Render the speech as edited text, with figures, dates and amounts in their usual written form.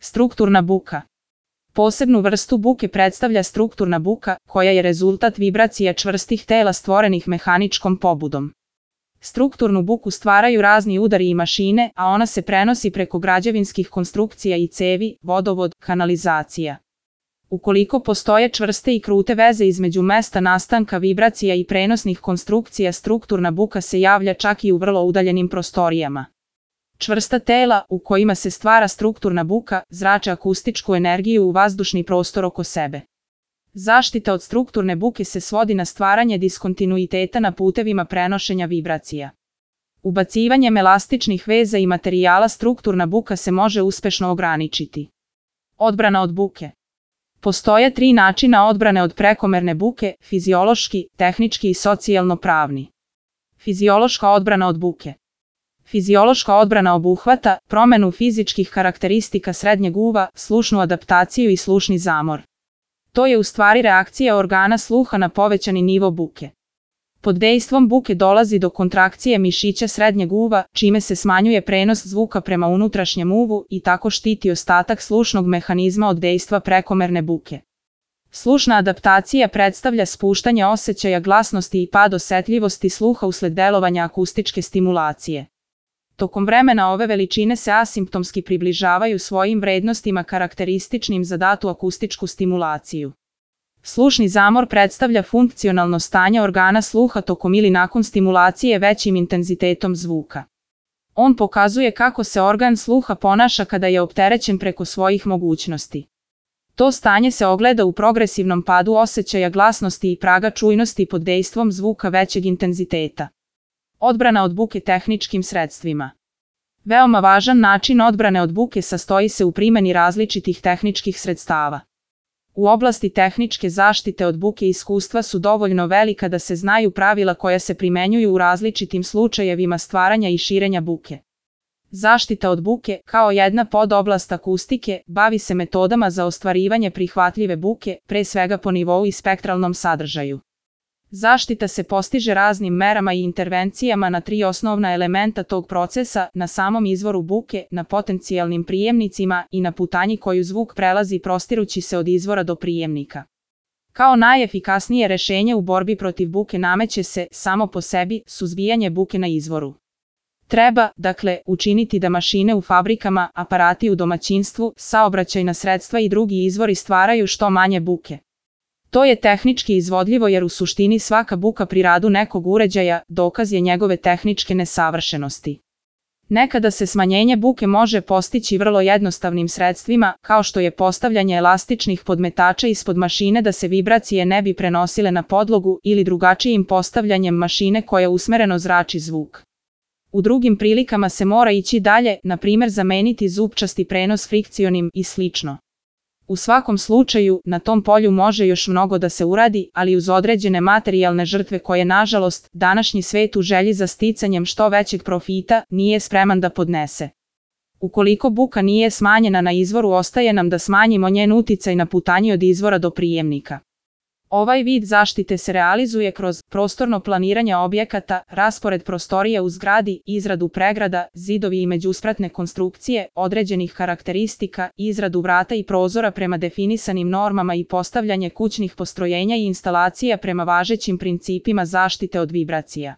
Strukturna buka. Posebnu vrstu buke predstavlja strukturna buka, koja je rezultat vibracija čvrstih tela stvorenih mehaničkom pobudom. Strukturnu buku stvaraju razni udari i mašine, a ona se prenosi preko građevinskih konstrukcija i cevi, vodovod, kanalizacija. Ukoliko postoje čvrste i krute veze između mesta nastanka vibracija i prenosnih konstrukcija, strukturna buka se javlja čak i u vrlo udaljenim prostorijama. Čvrsta tela, u kojima se stvara strukturna buka, zrače akustičku energiju u vazdušni prostor oko sebe. Zaštita od strukturne buke se svodi na stvaranje diskontinuiteta na putevima prenošenja vibracija. Ubacivanjem elastičnih veza i materijala strukturna buka se može uspešno ograničiti. Odbrana od buke. Postoje 3 načina odbrane od prekomerne buke: fiziološki, tehnički i socijalno-pravni. Fiziološka odbrana od buke. Fiziološka odbrana obuhvata promenu fizičkih karakteristika srednjeg uva, slušnu adaptaciju i slušni zamor. To je u stvari reakcija organa sluha na povećani nivo buke. Pod dejstvom buke dolazi do kontrakcije mišića srednjeg uva, čime se smanjuje prenos zvuka prema unutrašnjem uvu i tako štiti ostatak slušnog mehanizma od dejstva prekomerne buke. Slušna adaptacija predstavlja spuštanje osjećaja glasnosti i pad osetljivosti sluha usled delovanja akustičke stimulacije. Tokom vremena ove veličine se asimptomski približavaju svojim vrednostima karakterističnim za datu akustičku stimulaciju. Slušni zamor predstavlja funkcionalno stanje organa sluha tokom ili nakon stimulacije većim intenzitetom zvuka. On pokazuje kako se organ sluha ponaša kada je opterećen preko svojih mogućnosti. To stanje se ogleda u progresivnom padu osjećaja glasnosti i praga čujnosti pod dejstvom zvuka većeg intenziteta. Odbrana od buke tehničkim sredstvima. Veoma važan način odbrane od buke sastoji se u primjeni različitih tehničkih sredstava. U oblasti tehničke zaštite od buke iskustva su dovoljno velika da se znaju pravila koja se primenjuju u različitim slučajevima stvaranja i širenja buke. Zaštita od buke, kao jedna podoblast akustike, bavi se metodama za ostvarivanje prihvatljive buke, pre svega po nivou i spektralnom sadržaju. Zaštita se postiže raznim merama i intervencijama na 3 osnovna elementa tog procesa: na samom izvoru buke, na potencijalnim prijemnicima i na putanji koju zvuk prelazi prostirući se od izvora do prijemnika. Kao najefikasnije rešenje u borbi protiv buke nameće se, samo po sebi, suzbijanje buke na izvoru. Treba, dakle, učiniti da mašine u fabrikama, aparati u domaćinstvu, saobraćajna sredstva i drugi izvori stvaraju što manje buke. To je tehnički izvodljivo jer u suštini svaka buka pri radu nekog uređaja dokaz je njegove tehničke nesavršenosti. Nekada se smanjenje buke može postići vrlo jednostavnim sredstvima, kao što je postavljanje elastičnih podmetača ispod mašine da se vibracije ne bi prenosile na podlogu ili drugačijim postavljanjem mašine koja usmereno zrači zvuk. U drugim prilikama se mora ići dalje, na primjer zameniti zupčasti prenos frikcionim i slično. U svakom slučaju, na tom polju može još mnogo da se uradi, ali uz određene materijalne žrtve koje, nažalost, današnji svet u želji za sticanjem što većeg profita nije spreman da podnese. Ukoliko buka nije smanjena na izvoru, ostaje nam da smanjimo njen uticaj na putanji od izvora do prijemnika. Ovaj vid zaštite se realizuje kroz prostorno planiranje objekata, raspored prostorija u zgradi, izradu pregrada, zidovi i međuspratne konstrukcije, određenih karakteristika, izradu vrata i prozora prema definisanim normama i postavljanje kućnih postrojenja i instalacija prema važećim principima zaštite od vibracija.